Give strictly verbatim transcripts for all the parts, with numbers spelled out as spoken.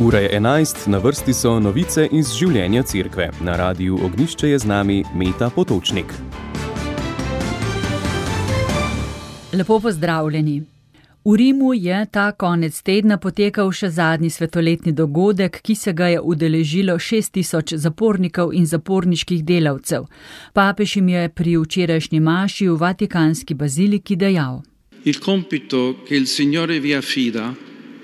Ura je enajst, na vrsti so novice iz življenja cerkve. Na Radiu Ognjišče je z nami Meta Potočnik. Lepo pozdravljeni. V Rimu je ta konec tedna potekal še zadnji svetoletni dogodek, ki se ga je udeležilo šest tisoč zapornikov in zaporniških delavcev. Papež jim je pri včerajšnji maši v Vatikanski baziliki dejal: Il compito che il Signore vi affida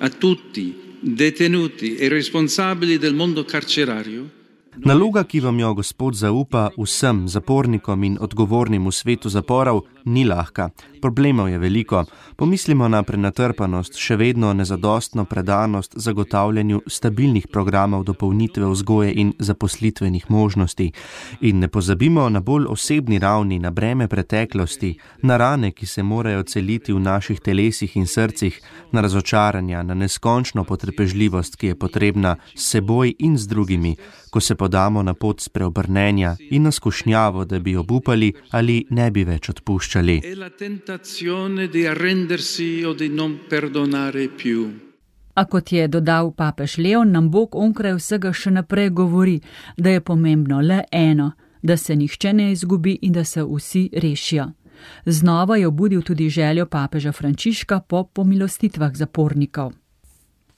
a tutti detenuti e responsabili del mondo carcerario. Naloga, ki vam jo Gospod zaupa vsem zapornikom in odgovornim v svetu zaporov, ni lahka. Problemov je veliko. Pomislimo na prenatrpanost, še vedno nezadostno predanost zagotavljanju stabilnih programov dopolnitve vzgoje in zaposlitvenih možnosti. In ne pozabimo na bolj osebni ravni, na breme preteklosti, na rane, ki se morajo celiti v naših telesih in srcih, na razočaranja, na neskončno potrpežljivost, ki je potrebna s seboj in z drugimi, ko se podamo na pot spreobrnenja in na skušnjavo, da bi obupali ali ne bi več odpuščali. A kot je dodal papež Leon, nam Bog onkraj vsega še naprej govori, da je pomembno le eno, da se nihče ne izgubi in da se vsi rešijo. Znova je obudil tudi željo papeža Frančiška po pomilostitvah zapornikov.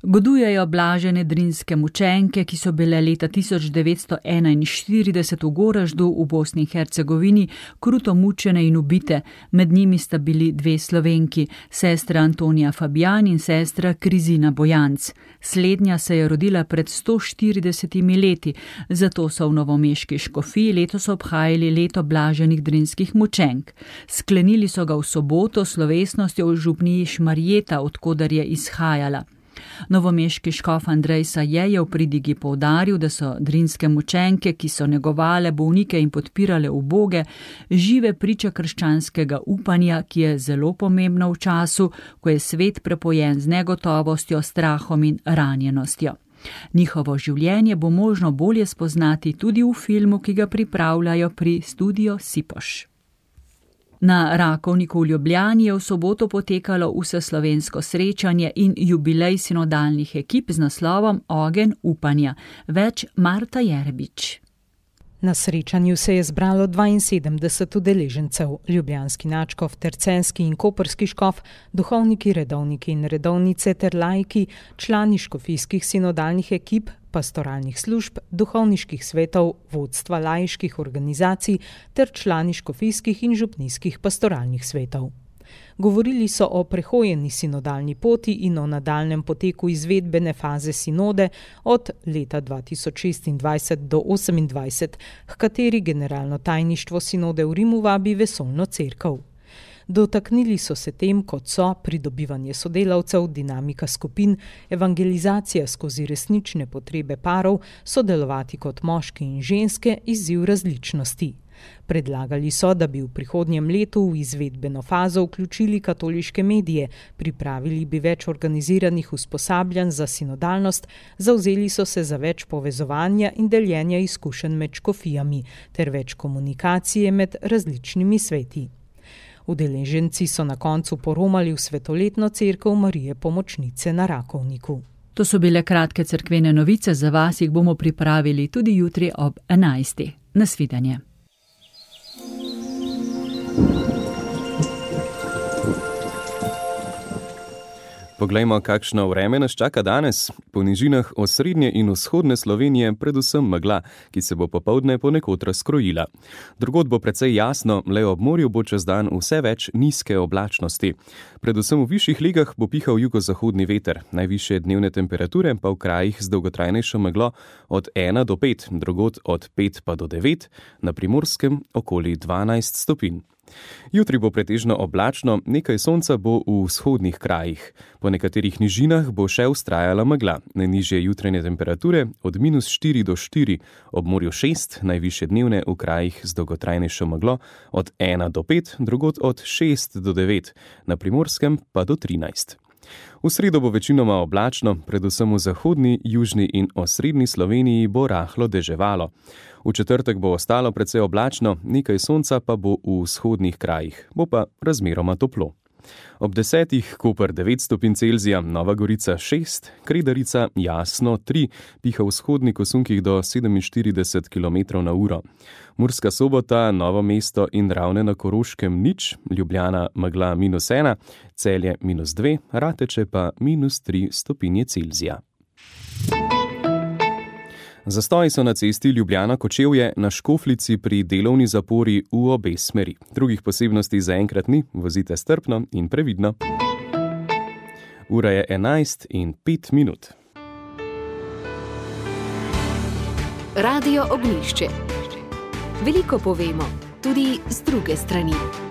Godujejo blažene drinske mučenke, ki so bile leta tisoč devetsto enainštirideset v Goraždu v Bosni in Hercegovini kruto mučene in ubite. Med njimi sta bili dve Slovenki, sestra Antonija Fabjan in sestra Krizina Bojanc. Slednja se je rodila pred sto štiridesetimi leti, zato so v novomeški škofiji letos obhajali leto blaženih drinskih mučenk. Sklenili so ga v soboto s slovesnostjo v župniji Šmarjeta, odkoder je izhajala. Novomeški škof Andrej Saje je v pridigi poudaril, da so drinske mučenke, ki so negovale bolnike in podpirale uboge, žive priče krščanskega upanja, ki je zelo pomembno v času, ko je svet prepojen z negotovostjo, strahom in ranjenostjo. Njihovo življenje bo možno bolje spoznati tudi v filmu, ki ga pripravljajo pri Studio Sipoš. Na Rakovniku v Ljubljani je v soboto potekalo vseslovensko srečanje in jubilej sinodalnih ekip z naslovom Ogenj upanja. Več Marta Jerbič. Na srečanju se je zbralo dvainsedemdeset udeležencev, ljubljanski nadškof ter celjski in koprski škof, duhovniki, redovniki in redovnice ter laiki, člani škofijskih sinodalnih ekip, pastoralnih služb, duhovniških svetov, vodstva laiških organizacij ter člani škofijskih in župnijskih pastoralnih svetov. Govorili so o prehojeni sinodalni poti in o nadaljnem poteku izvedbene faze sinode od leta dva tisoč šestindvajset do osemindvajset, h kateri generalno tajništvo sinode v Rimu vabi vesoljno cerkev. Dotaknili so se tem, kot so pridobivanje sodelavcev, dinamika skupin, evangelizacija skozi resnične potrebe parov, sodelovati kot moški in ženske, izziv različnosti. Predlagali so, da bi v prihodnjem letu v izvedbeno fazo vključili katoliške medije, pripravili bi več organiziranih usposabljanj za sinodalnost, zavzeli so se za več povezovanja in deljenja izkušenj med škofijami ter več komunikacije med različnimi sveti. Udeleženci so na koncu poromali v svetoletno cerkev Marije Pomočnice na Rakovniku. To so bile kratke cerkvene novice, za vas jih bomo pripravili tudi jutri ob enajstih. Nasvidenje. Poglejmo, kakšno vreme nas čaka danes. Po nižinah osrednje in vzhodne Slovenije predvsem megla, ki se bo popoldne ponekod razkrojila. Drugod bo precej jasno, le ob morju bo čez dan vse več nizke oblačnosti. Predvsem v višjih legah bo pihal jugozahodni veter, najvišje dnevne temperature pa v krajih z dolgotrajnejšo meglo od ena do pet, drugod od pet pa do devet, na Primorskem okoli dvanajst stopinj. Jutri bo pretežno oblačno, nekaj sonca bo v vzhodnih krajih. Po nekaterih nižinah bo še vztrajala megla. Najnižje jutranje temperature od minus štiri do štiri, ob morju šest, najvišje dnevne v krajih z dolgotrajnejšo meglo od ena do pet, drugod od šest do devet, na Primorskem pa do trinajst. V sredo bo večinoma oblačno, predvsem v zahodni, južni in osrednji Sloveniji bo rahlo deževalo. V četrtek bo ostalo precej oblačno, nekaj sonca pa bo v vzhodnih krajih, bo pa razmeroma toplo. Ob desetih Koper devet stopinj Celzija, Nova Gorica šest, Kredarica jasno tri, piha v vzhodnih kosunkih do sedeminštirideset kilometrov na uro. Murska Sobota, Novo mesto in Ravne na Koroškem nič, Ljubljana megla minus ena, Celje minus dve, Rateče pa minus tri stopinje Celzija. Zastoji so na cesti Ljubljana-Kočevje na Škoflici pri delovni zapori v obe smeri. Drugih posebnosti zaenkrat ni, vozite strpno in previdno. Ura je enajst in pet minut. Radio Ognjišče. Veliko povemo, tudi z druge strani.